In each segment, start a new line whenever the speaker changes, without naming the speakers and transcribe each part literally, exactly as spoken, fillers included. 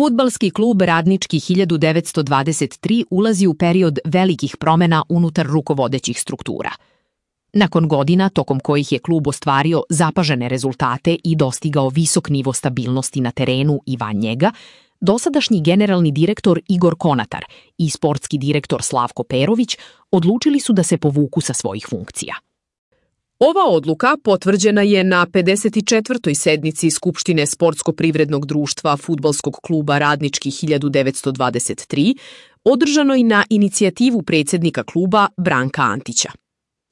Fudbalski klub Radnički hiljadu devetsto dvadeset tri ulazi u period velikih promjena unutar rukovodećih struktura. Nakon godina tokom kojih je klub ostvario zapažene rezultate i dostigao visok nivo stabilnosti na terenu i van njega, dosadašnji generalni direktor Igor Konatar i sportski direktor Slavko Perović odlučili su da se povuku sa svojih funkcija.
Ova odluka potvrđena je na pedeset četvrtoj sednici Skupštine Sportsko-privrednog društva Fudbalskog kluba Radnički hiljadu devetsto dvadeset tri, održanoj na inicijativu predsjednika kluba Branka Antića.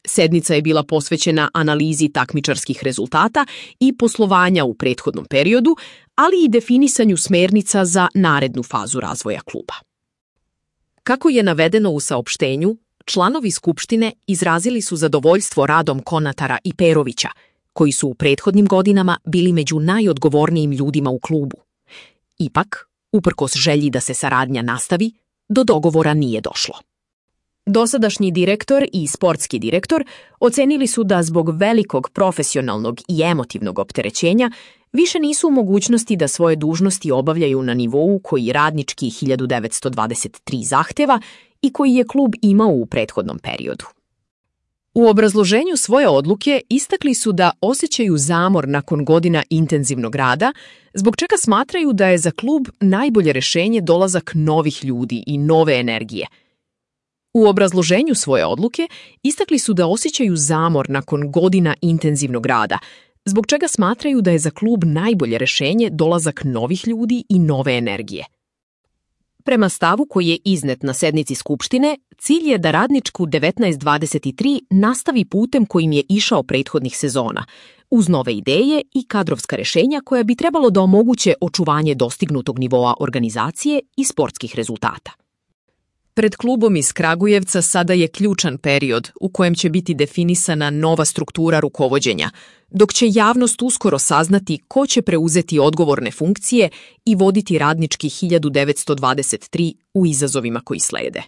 Sednica je bila posvećena analizi takmičarskih rezultata i poslovanja u prethodnom periodu, ali i definisanju smernica za narednu fazu razvoja kluba. Kako je navedeno u saopštenju, članovi Skupštine izrazili su zadovoljstvo radom Konatara i Perovića, koji su u prethodnim godinama bili među najodgovornijim ljudima u klubu. Ipak, uprkos želji da se saradnja nastavi, do dogovora nije došlo. Dosadašnji direktor i sportski direktor ocenili su da zbog velikog profesionalnog i emotivnog opterećenja više nisu u mogućnosti da svoje dužnosti obavljaju na nivou koji Radnički hiljadu devetsto dvadeset tri zahteva i koji je klub imao u prethodnom periodu. U obrazloženju svoje odluke istakli su da osjećaju zamor nakon godina intenzivnog rada, zbog čega smatraju da je za klub najbolje rješenje dolazak novih ljudi i nove energije. U obrazloženju svoje odluke istakli su da osjećaju zamor nakon godina intenzivnog rada, zbog čega smatraju da je za klub najbolje rješenje dolazak novih ljudi i nove energije. Prema stavu koji je iznet na sednici Skupštine, cilj je da Radničku devetnaest dvadeset tri nastavi putem kojim je išao prethodnih sezona, uz nove ideje i kadrovska rješenja koja bi trebalo da omoguće očuvanje dostignutog nivoa organizacije i sportskih rezultata. Pred klubom iz Kragujevca sada je ključan period u kojem će biti definisana nova struktura rukovođenja, dok će javnost uskoro saznati ko će preuzeti odgovorne funkcije i voditi Radnički hiljadu devetsto dvadeset tri u izazovima koji slede.